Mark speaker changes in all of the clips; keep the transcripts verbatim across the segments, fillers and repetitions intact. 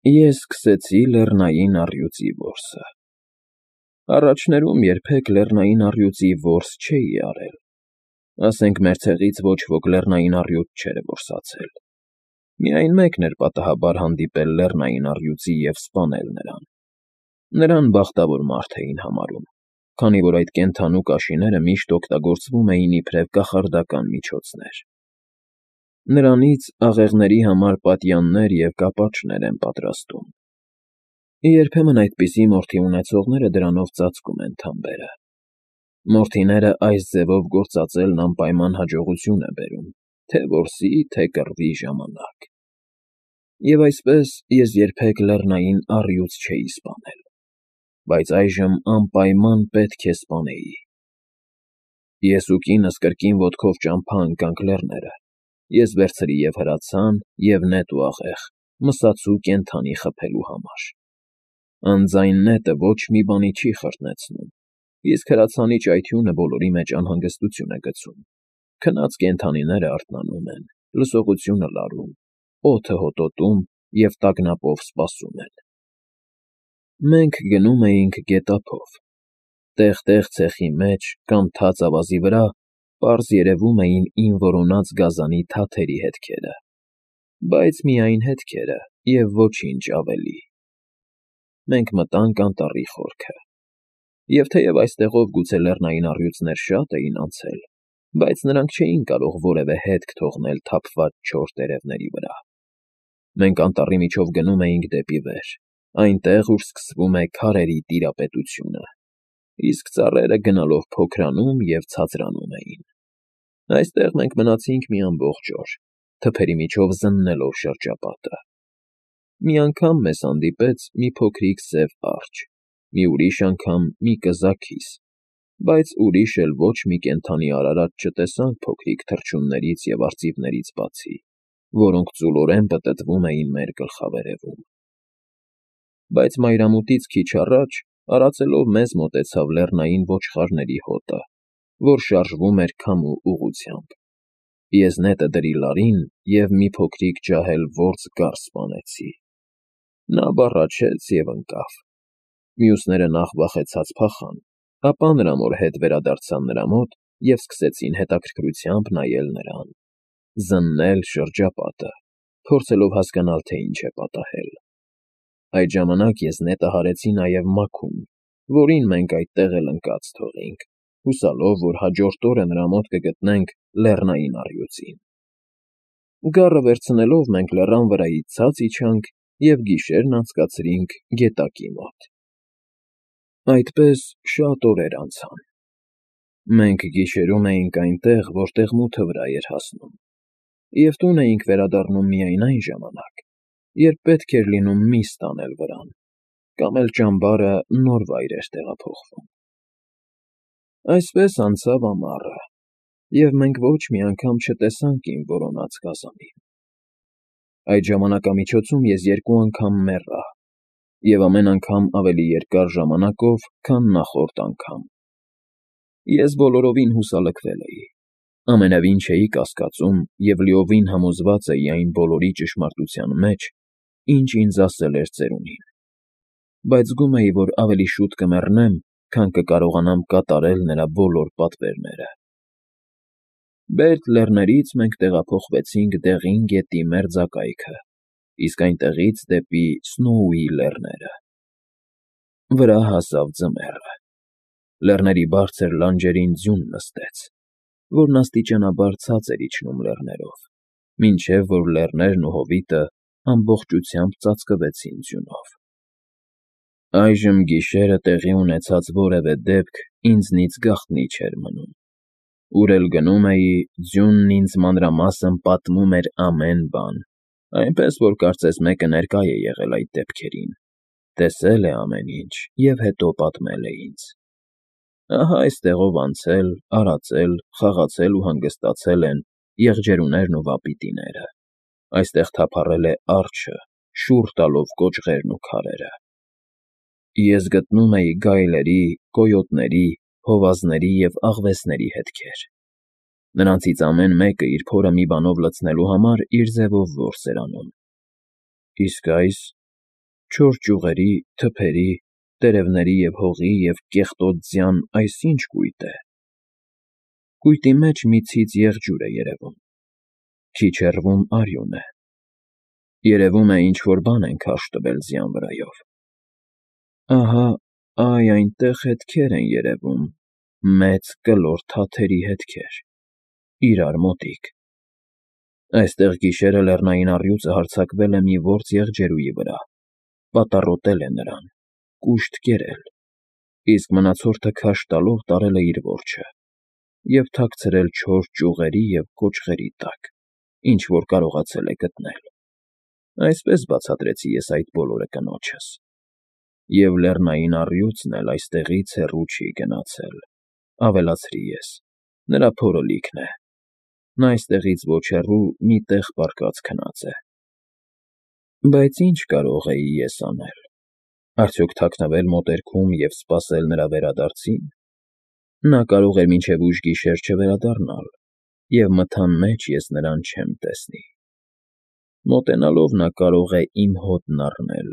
Speaker 1: Ես սկսեցի լեռնային առյուծի որսը։ Առաջներում երբեք լեռնային առյուծի որս չէի արել, ասենք մեր ցեղից ոչ ոք լեռնային առյուծ չէր որսացել, միայն մեկն էր պատահաբար հանդիպել լեռնային առյուծի և սպանել նրան։ Նրան բախտավոր մարդ էին համարում, քանի որ այդ կենդանու կաշիները միշտ օգտագործվում էին իբրև կախարդական միջոցներ։ Նրանից աղեղների համար պատյաններ և կապաճներ են պատրաստում։ Երբեմն այդպիսի մորթի ունեցողները դրանով ծածկում են թամբերը։ Մորթիները այս ձևով գործածելն անպայման հաջողություն է բերում թե՛ որսի, թե՛ կռվի ժամանակ։ Եվ այսպես ես երբեք լեռնային առյուծ չէի սպանել, բայց այժմ անպայման պետք է սպանեի։ Ես ու կինս կրկին ոտքով ճամփա ընկանք լեռները, ես վերցրի և՛ հրացան, և՛ նետ ու աղեղ, մսացու կենդանի խփելու համար։ Անձայն նետը ոչ մի բանի չի խրտնեցնում, իսկ հրացանի ճայթյունը բոլորի մեջ անհանգստություն է գցում, քնած կենդանիները արթնանում են, լսողությունը լարում, օդը հոտոտում և տագնապով սպասում են։ Մենք գնում էինք գետափով։ Տեղ֊տեղ ցեխի մեջ կամ թաց ավազի վրա պարզ երևում էին իմ որոնած գազանի թաթերի հետքերը, բայց միայն հետքերը և ոչինչ ավելի։ Մենք մտանք անտառի խորքը, և թեև այստեղով գուցե լեռնային առյուծներ շատ էին անցել, բայց նրանք չէին կարող որևէ հետք թողնել թափված չոր տերևների վրա։ Մենք անտառի միջով գնում էինք դեպի վեր, այնտեղ, ուր սկսվում է քարերի տիրապետությունը, իսկ ծառերը գնալով փոքրանում և ցածրանում էին։ Այստեղ մենք մնացինք մի ամբողջ օր, թփերի միջով զննելով շրջապատը։ Մի անգամ մեզ հանդիպեց մի փոքրիկ սև արջը, մի ուրիշ անգամ մի կզակ հիս, բայց ուրիշ էլ ոչ մի կենդանի արարած չտեսանք փոքրիկ թռչուններից և արծիվներից բացի, որոնք ծուլորեն պտտվում էին մեր գլխավերևում։ Բայց մայրամուտից քիչ առաջ արածելով մեզ մոտեցավ լեռնային ոչխարների հոտը, որ շարժվում էր քամու ուղղությամբ։ Ես նետը դրի լարին և մի փոքրիկ ջահել որձ գառ սպանեցի։ Նա բառաչեց և ընկավ։ Մյուսները նախ վախեցած փախան, ապա նրա մոր հետ վերադարձան նրա մոտ և սկսեցին հետաքրքրությամբ նայել նրան, զննել շրջապատը, փորձելով հասկանալ, թե ինչ է պատահել։ Այդ ժամանակ ես նետը հարեցի նաև մաքուն, որին մենք այդտեղ էլ ընկած թողինք, հուսալով, որ հաջորդ օրը նրա մոտ կգտնենք լեռնային առյուծին։ Գառը վերցնելով մենք լեռան վրայից ցած իջանք և գիշերն անցկացրինք գետակի մոտ։ Այդպես շատ օրեր անցան։ Մենք գիշերում էինք այնտեղ, որտեղ մութը վրա էր հասնում, և տուն էինք վերադառնում միայն այն ժամանակ, երբ պետք էր լինում միս տանել վրան, կամ էլ ճամբարը նոր վայր էր տեղափոխվում։ Այսպես անցավ ամառը, և մենք ոչ մի անգամ չտեսանք իմ որոնած գազանին։ Այդ ժամանակամիջոցում ես երկու անգամ մեռա, և ամեն անգամ ավելի երկար ժամանակով, քան նախորդ անգամ։ Ես բոլորովին հուսալքվել էի, ամենևին չէի կասկածում և լիովին համոզված էի այն բոլորի ճշմարտության մեջ, ինչ ինձ ասել էր ծերունին, բայց զգում էի, որ ավելի շուտ կմեռնեմ, քան կկարողանամ կատարել նրա բոլոր պատվերները։ Բերդ լեռներից մենք տեղափոխվեցինք Դեղին գետի մերձակայքը, իսկ այնտեղից դեպի Սնոուի լեռները։ Վրա հասավ ձմեռը։ Լեռների բարձր լանջերին ձյուն նստեց, որն աստիճանաբար ցած էր իջնում լեռներով, մինչև որ լեռներն ու հովիտը ամբողջությամբ ծածկվեցին ձյունով։ Այժմ գիշերը տեղի ունեցած որևէ դեպք ինձնից գաղտնի չէր մնում։ Ուր էլ գնում էի, ձյունն ինձ մանրամասն պատմում էր ամեն բան, այնպես որ կարծես մեկը ներկա է եղել այդ դեպքերին, տեսել է ամեն ինչ և հետո պատմել է ինձ։ Ահա այստեղով անցել, արածել, խաղացել ու հանգստացել են եղջերուներն ու վապիտիները, այստեղ թափառել է արջը, շուռ տալով կոճղերն ու քարերը։ Ես գտնում էի գայլերի, կոյոտների, հովազների և աղվեսների հետքեր։ Նրանցից ամեն մեկը իր փորը մի բանով լցնելու համար իր ձևով որս էր անում։ Իսկ այս, չոր ճյուղերի, թփերի, տերևների և հողի և կեղտոտ ձյան այս ի՞նչ կույտ է… Կույտի մեջ մի ցից եղջյուր է երևում, քիչ հեռվում արյուն է, երևում է ինչ֊որ բան են քարշ տվել ձյան վրայով… Ահա այ այնտեղ հետքեր են երևում, մեծ կլոր թաթերի հետքեր, իրար մոտիկ… Այստեղ գիշերը լեռնային առյուծը հարձակվել է մի ործ եղջերուի վրա, պատառոտել է նրան, կուշտ կերել, իսկ մնացորդը քարշ տալով տարել է իր որջը և թաքցրել չոր ճյուղերի և կոճղերի տակ, ինչ֊որ կարողացել է գտնել… Այսպես բացատրեցի ես այդ բոլորը կնոջս… Եվ լեռնային առյուծն էլ այստեղից հեռու չի գնացել, ավելացրի ես, նրա փորը լիքն է, նա այստեղից ոչ հեռու մի տեղ պառկած քնած է… Բայց ի՞նչ կարող էի ես անել… Արդյոք թաքնվել մոտերքում և սպասել նրա վերադարձի՞ն… Նա կարող էր մինչև ուշ գիշեր չվերադառնալ, և մթան մեջ ես նրան չեմ տեսնի… Մոտենալով նա կարող է իմ հոտն առնել,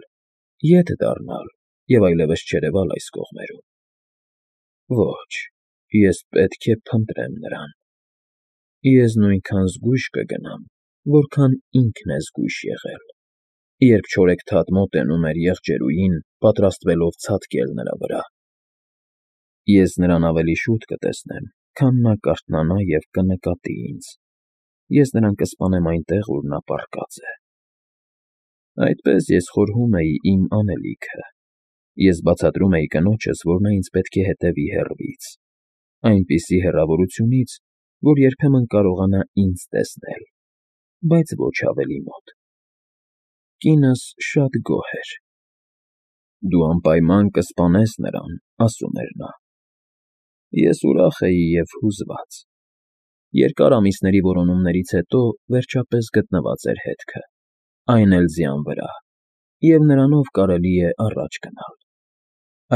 Speaker 1: ետ դառնալ և այլևս չերևալ այս կողմերում… Ոչ, ես պետք է փնտրեմ նրան… Ես նույնքան զգույշ կգնամ, որքան ինքն է զգույշ եղել, երբ չորեքթաթ մոտենում էր եղջերուին, պատրաստվելով ցատկել նրա վրա… Ես նրան ավելի շուտ կտեսնեմ, քան նա կարթնանա և կնկատի ինձ… Ես նրան կսպանեմ այնտեղ, ուր նա պառկած է… Այդպես ես խորհում էի իմ անելիքը… Ես բացատրում էի կնոջս, որ նա ինձ պետք է հետևի հեռվից, այնպիսի հեռավորությունից, որ երբեմն կարողանա ինձ տեսնել, բայց ոչ ավելի մոտ… Կինս շատ գոհ էր… Դու անպայման կսպանես նրան, ասում էր նա… Ես ուրախ էի և հուզված… Երկար ամիսների որոնումներից հետո վերջապես գտնված էր հետքը, այն էլ ձյան վրա, և նրանով կարելի է առաջ գնալ…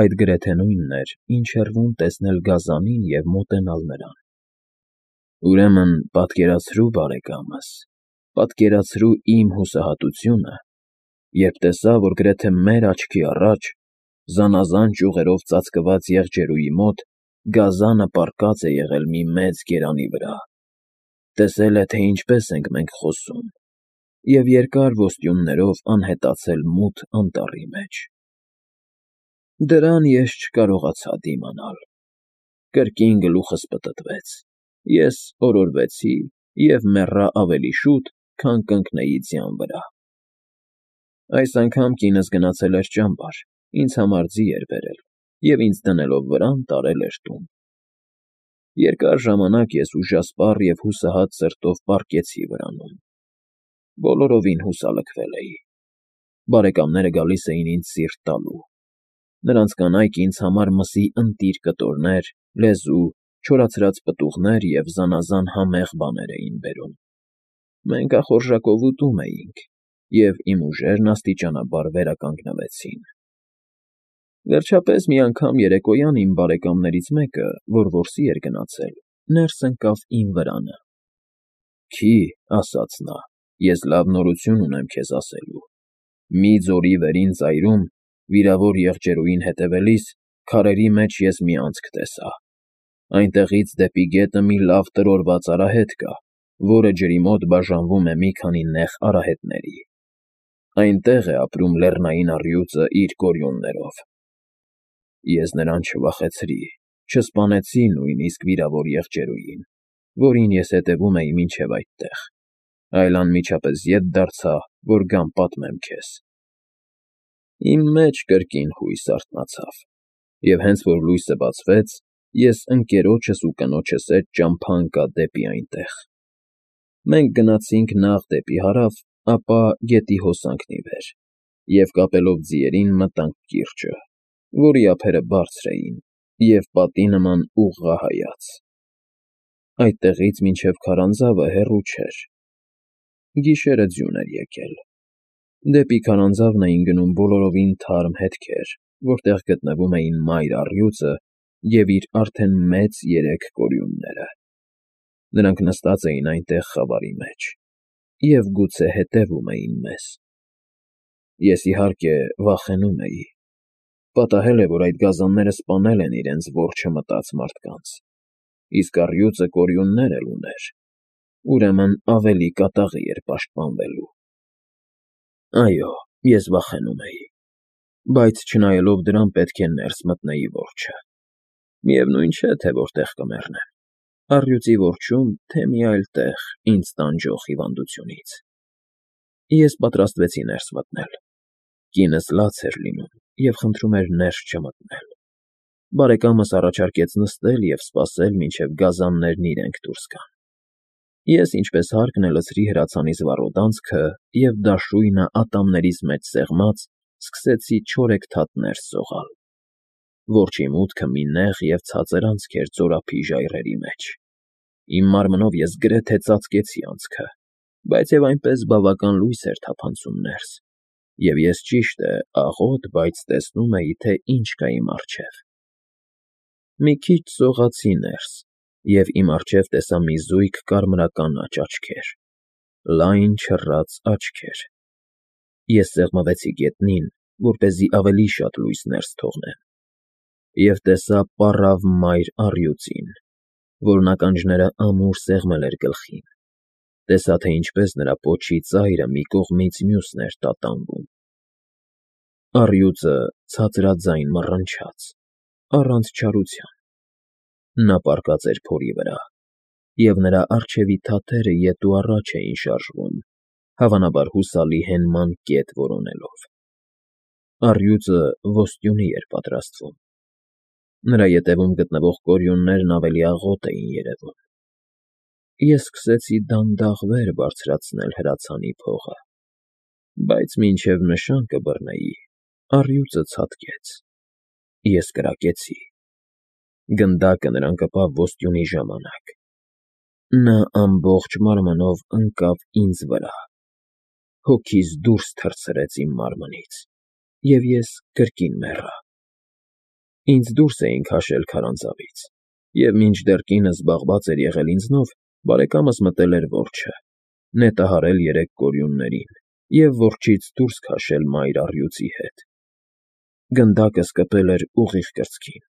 Speaker 1: Այդ գրեթե նույնն էր, ինչ հեռվում տեսնել գազանին և մոտենալ նրան… Ուրեմն պատկերացրու, բարեկամս, պատկերացրու իմ հուսահատությունը, երբ տեսա, որ գրեթե մեր աչքի առաջ, զանազան ճյուղերով ծածկված եղջերուի մոտ գազանը պառկած է եղել մի մեծ գերանի վրա, տեսել է, թե ինչպես ենք մենք խոսում, և երկար ոսტյուններով անհետացել մութ անտառի մեջ… Դրան ես չկարողացա դիմանալ… Կրկին գլուխս պտտվեց, ես օրորվեցի և մեռա ավելի շուտ, քան կընկնեի ձյան վրա… Այս անգամ կինս գնացել էր ճամբար, ինձ համար ձի էր բերել և ինձ դնելով վրան տարել էր տուն… Երկար ժամանակ ես ուժասպառ և հուսահատ սրտով պառկեցի վրանում… Բոլորովին հուսալքվել էի… Բարեկամները գալիս էին ինձ սիրտ տալու… Նրանց կանայք ինձ համար մսի ընտիր կտորներ, լեզու, չորացրած պտուղներ և զանազան համեղ բաներ էին բերում… Մենք ախորժակով ուտում էինք, և իմ ուժերն աստիճանաբար վերականգնվեցին… Վերջապես մի անգամ երեկոյան իմ բարեկամներից մեկը, որ որսի էր գնացել, ներս ընկավ իմ վրանը… Քի, ասաց նա, ես լավ նորություն ունեմ քեզ ասելու… Մի ձորի վերին ծայրում, վիրավոր եղջերուին հետևելիս, քարերի մեջ ես մի անցք տեսա… Այնտեղից դեպի գետը մի լավ տրորված արահետ կա, որը ջրի մոտ բաժանվում է մի քանի նեղ արահետների… Այնտեղ է ապրում լեռնային առյուծը իր գորիոններով… Ես նրան չվախեցրի, չսպանեցի նույնիսկ վիրավոր եղջերուին, որին ես հետևում էի մինչև այդտեղ, այլ անմիջապես ետ դարձա, որ գամ պատմեմ քեզ… Իմ մեջ կրկին հույս արթնացավ, և հենց որ լույսը բացվեց, ես ընկերոջս ու կնոջս հետ ճամփա ընկա դեպի այնտեղ… Մենք գնացինք նախ դեպի հարավ, ապա գետի հոսանքն ի վեր և կապելով ձիերին մտանք կիրճը, որի ափերը բարձր էին և պատի նման ուղղահայաց… Այդտեղից մինչև քարանձավը հեռու չէր… Գիշերը ձյուն էր եկել… Դեպի քարանձավն էին գնում բոլորովին թարմ հետքեր, որտեղ գտնվում էին մայր առյուծը և իր արդեն մեծ երեք կորյունները… Նրանք նստած էին այնտեղ խավարի մեջ և գուցե հետևում էին մեզ… Ես, իհարկե, վախենում էի. պատահել է, որ այդ գազանները սպանել են իրենց որջը մտած մարդկանց, իսկ առյուծը կորյուններ էլ ուներ, ուրեմն ավելի կատաղի էր պաշտպանվելու։ Այո, ես վախենում էի, բայց չնայելով դրան պետք է ներս մտնեի որջը։ Միևնույն չէ, թե որտեղ կմեռնեմ, առյուծի որջում, թե մի այլ տեղ ինձ տանջող հիվանդությունից։ Ես պատրաստվեցի ներս մտնել։ Կինս լաց էր լինում և խնդրում էր ներս չմտնել։ Բարեկամս առաջարկեց նստել և սպասել, մինչև գազաններն իրենք դուրս գան։ Ես, ինչպես հարկն է, լցրի հրացանիս վառոդանցքը և դաշույնը ատամներիս մեջ սեղմած, սկսեցի չորեքթաթ ներս սողալ։ Որջի մուտքը մի նեղ և ցածր անցք էր ծորափի ժայռերի մեջ։ Իմ մարմնով ես գրեթե ծածկեցի անցքը, բայց և այնպես բավական լույս էր թափանցում ներս, և ես, ճիշտ է, աղոտ, բայց տեսնում էի, թե ինչ կա իմ առջև։ Մի քիչ սողացի ներս և իմ առջև տեսա մի զույգ կարմրականաչ աչքեր, լայն, չռած աչքեր։ Ես սեղմվեցի գետնին, որպեսզի ավելի շատ լույս ներս թողնեմ, և տեսա պառավ մայր առյուծին, որն ականջները ամուր սեղմել էր գլխին, տեսա, թե ինչպես նրա պոչի ծայրը մի կողմից մյուսն էր տատանվում։ Առյուծը ցածրաձայն մռնչաց, առանց չարության։ Նա պառկած էր փորի վրա, և նրա առջևի թաթերը ետ ու առաջ էին շարժվում, հավանաբար հուսալի հենման կետ որոնելով։ Առյուծը ոստյունի էր պատրաստվում։ Նրա ետևում գտնվող կորյուններն ավելի աղոտ էին երևում։ Ես սկսեցի դանդաղ վեր բարձրացնել հրացանի փողը, բայց մինչև նշան կբռնեի, առյուծը ցատկեց։ Ես կրակեցի։ Գնդակը նրան կպավ ոստյունի ժամանակ։ Նա ամբողջ մարմնով ընկավ ինձ վրա, հոգիս դուրս թռցրեց իմ մարմնից, և ես կրկին մեռա։ Ինձ դուրս էին քաշել քարանձավից, և մինչդեռ կինս զբաղված էր եղել ինձնով, բարեկամս մտել էր որջը, նետահարել երեք կորյուններին և որջից դուրս քաշել մայր առյուծի հետ։ Գնդակս կպել էր ուղիղ կրծքին։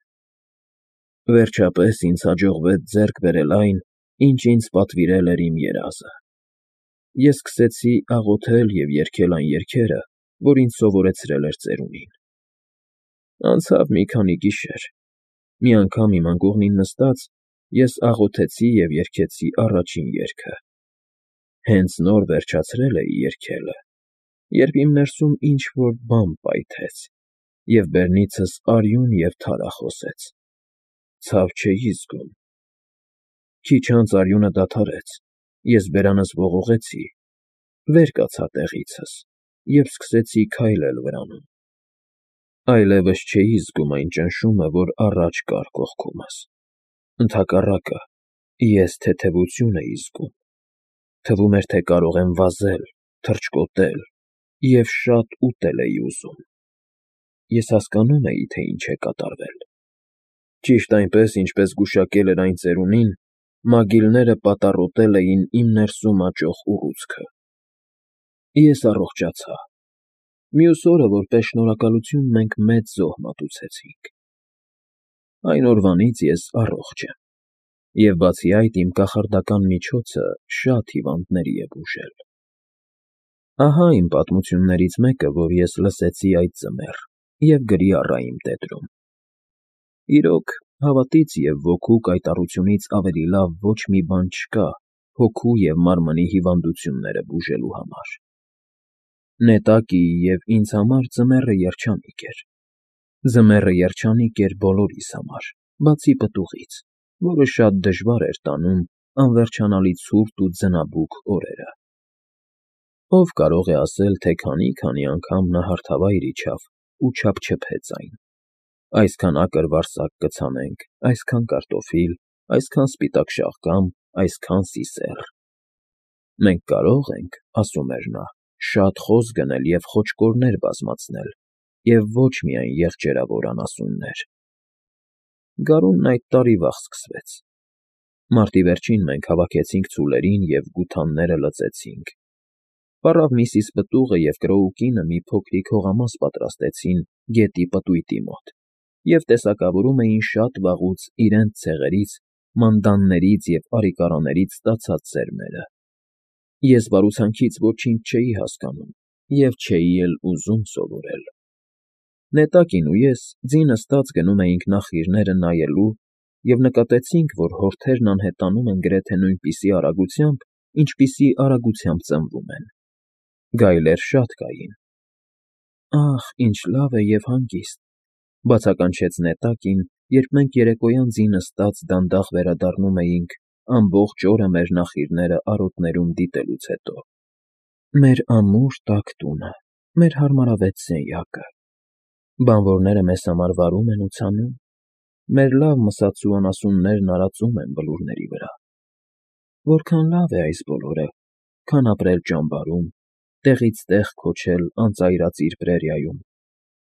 Speaker 1: Վերջապես ինձ հաջողվեց ձեռք բերել այն, ինչ ինձ պատվիրել էր իմ երազը։ Ես սկսեցի աղոթել և երգել այն երգերը, որ ինձ սովորեցրել էր ծերունին։ Անցավ մի քանի գիշեր։ Մի անգամ իմ անկողնին նստած, ես աղոթեցի և երգեցի առաջին երգը։ Հենց նոր վերջացրել էի երգելը, երբ իմ ներսում ինչ֊որ բան պայթեց, և բերնիցս արյուն և թարա խոսեց։ Ցավ չէի զգում։ Քիչ անց արյունը դադարեց, ես բերանս ողողեցի, վեր կացա տեղիցս և սկսեցի քայլել վրանում։ Այլևս չէի զգում այն ճնշումը, որ առաջ կար կողքումս։ Ընդհակառակը, ես թեթևություն էի զգում։ Թվում էր, թե կարող եմ վազել, թռչկոտել և շատ ուտել էի ուզում։ Ես հասկանում էի, թե ինչ է կատարվել։ Ճիշտ այնպես, ինչպես գուշակել էր այն ծերունին, մագիլները պատառոտել էին իմ ներսում աճող ուռուցքը։ Ես առողջացա։ Մյուս օրը, որպես շնորհակալություն, մենք մեծ զոհ մատուցեցինք։ Այն օրվանից ես առողջ եմ, և բացի այդ, իմ կախարդական միջոցը շատ հիվանդների է բուժել։ Ահա իմ պատմություններից մեկը, որ ես լսեցի այդ ձմեռ և գրի առա իմ տետրում։ Իրոք, հավատից և ոգու կայտառությունից ավելի լավ ոչ մի բան չկա հոգու և մարմնի հիվանդությունները բուժելու համար։ Նետակի և ինձ համար ձմեռը երջանիկ էր։ Ձմեռը երջանիկ էր բոլորիս համար, բացի պտուղից, որը շատ դժվար էր տանում անվերջանալի ցուրտ ու ձնաբուք օրերը։ Ո՞վ կարող է ասել, թե քանի՜֊քանի անգամ նա հարթավայր իջավ ու չափչփեց այն. այսքան ակր֊վարսակ կցանենք, այսքան կարտոֆիլ, այսքան սպիտակ շաղգամ, այսքան սիսեռ։ Մենք կարող ենք, ասում էր նա, շատ խոզ գնել և խոճկորներ բազմացնել, և ոչ միայն եղջերավոր անասուններ։ Գարունն այդ տարի վաղ սկսվեց։ Մարտի վերջին մենք հավաքեցինք ցուլերին և գութանները լծեցինք։ Պառավ միսիս պտուղը և կրոուկինը մի փոքրիկ հողամաս պատրաստեցին գետի պտույտի մոտ և տեսակավորում էին շատ վաղուց իրենց ցեղերից, մանդաններից և արիկարաներից ստացած սերմերը։ Ես բարուցանքից ոչինչ չէի հասկանում և չէի էլ ուզում սովորել։ Նետակին ու ես ձի նստած գնում էինք նախիրները նայելու և նկատեցինք, որ հորթերն անհետանում են գրեթե նույնպիսի արագությամբ, ինչպիսի արագությամբ ծնվում են։ Գայլեր շատ կային։ «Ախ, ինչ լավ է և հանգիստ», ֊ բացականչեց նետակին, երբ մենք երեկոյան ձի նստած դանդաղ վերադառնում էինք ամբողջ օրը մեր նախիրները արոտներում դիտելուց հետո։ «Մեր ամուր տաք տունը, մեր հարմարավետ սենյակը։ Բանվորները մեզ համար վարում են ու ցանում, մեր լավ մսացու անասուններն արածում են բլուրների վրա։ Որքան լավ է այս բոլորը, քան ապրել ճամբարում, տեղից տեղ քոչել անծայրածիր պրերիայում,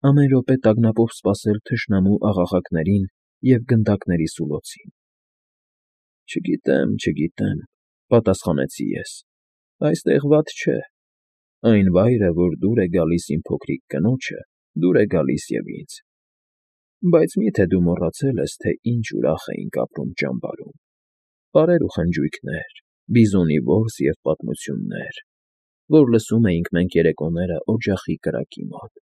Speaker 1: ամեն րոպե տագնապով սպասել թշնամու աղաղակներին և գնդակների սուլոցին»։ «Չգիտեմ, չգիտեմ,֊ պատասխանեցի ես,֊ այստեղ վատ չէ։ Այն վայրը, որ դուր է գալիս իմ փոքրիկ կնոջը, դուր է գալիս և ինձ։ Բայց մի՞թե դու մոռացել ես, թե ինչ ուրախ էինք ապրում ճամբարում. պարեր ու խնջույքներ, բիզոնի որս և պատմություններ, որ լսում էինք մենք երեկոները օջախի կրակի մոտ։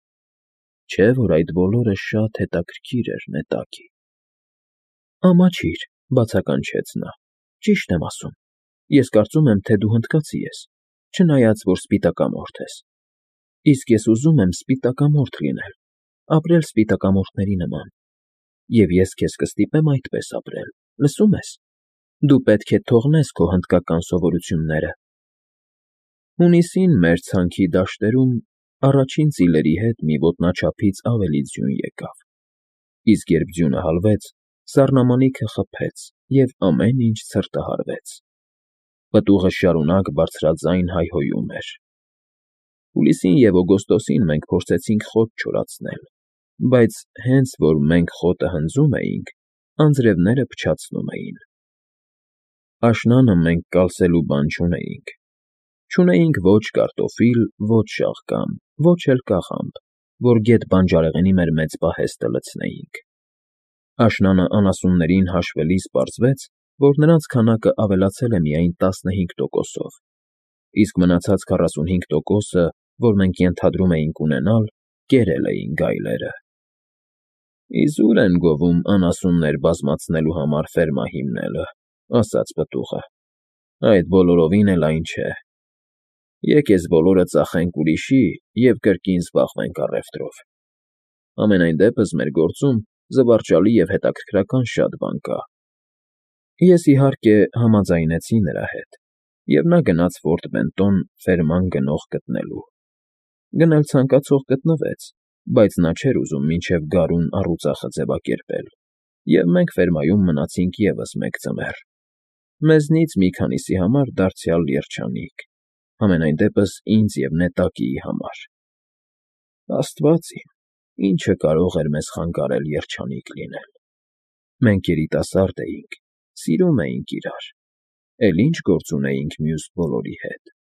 Speaker 1: Չէ՞ որ այդ բոլորը շատ հետաքրքիր էր, նետակի»։ «Ամաչիր,֊ բացականչեց նա,֊ ճիշտ եմ ասում։ Ես կարծում եմ, թե դու հնդկացի ես, չնայած որ սպիտակամորթ ես։ Իսկ ես ուզում եմ սպիտակամորթ լինել, ապրել սպիտակամորթների նման։ Եվ ես քեզ կստիպեմ այդպես ապրել, լսո՞ւմ ես։ Դու պետք է թողնես քո հնդկական սովորությունները»։ Հունիսին մեր ցանքի դաշտերում առաջին ծիլերի հետ մի ոտնաչափից ավելի ձյուն եկավ, իսկ երբ ձյունը հալվեց, սառնամանիքը խփեց, և ամեն ինչ ցրտահարվեց։ Պտուղը շարունակ բարձրաձայն հայհոյում էր։ Հուլիսին և օգոստոսին մենք փորձեցինք խոտ չորացնել, բայց հենց որ մենք խոտը հնձում էինք, անձրևները փչացնում էին։ Աշնանը մենք կալսելու բան չունեինք։ Չունեինք ոչ կարտոֆիլ, ոչ շաղկան, ոչ էլ կաղամբ, որ գետ բանջարեղենի մեր մեծ պահեստը լցնեինք։ Աշնանը անասուններին հաշվելիս պարզվեց, որ նրանց քանակը ավելացել է միայն տասնհինգ տոկոսով, իսկ մնացած քառասունհինգ տոկոսը, որ մենք ենթադրում էինք ունենալ, կերել էին գայլերը։ «Իզուր են գովում անասուններ բազմացնելու համար ֆերմա հիմնելը,֊ ասաց պտուղը,֊ այդ բոլորովին էլ այն չէ։ Եկ էս բոլորը ծախենք ուրիշի և կրկին զբաղվենք առևտրով։ Համենայն դեպս մեր գործում զվարճալի և հետաքրքրական շատ բան կա»։ Ես, իհարկե, համաձայնեցի նրա հետ, և նա գնաց Ֆորտ Բենտոն ֆերման գնող գտնելու։ Գնել ցանկացող գտնվեց, բայց նա չէր ուզում մինչև գարուն առուծախը ձևակերպել, և մենք ֆերմայում մնացինք ևս մեկ ձմեռ։ Մեզնից մի քանիսի համար դարձյալ երջանիկ, համենայն դեպս ինձ և նետակիի համար։ Աստված իմ, ի՞նչը կարող էր մեզ խանգարել երջանիկ լինել։ Մենք երիտասարդ էինք, սիրում էինք իրար, էլ ի՞նչ գործ ունեինք մյուս բոլորի հետ։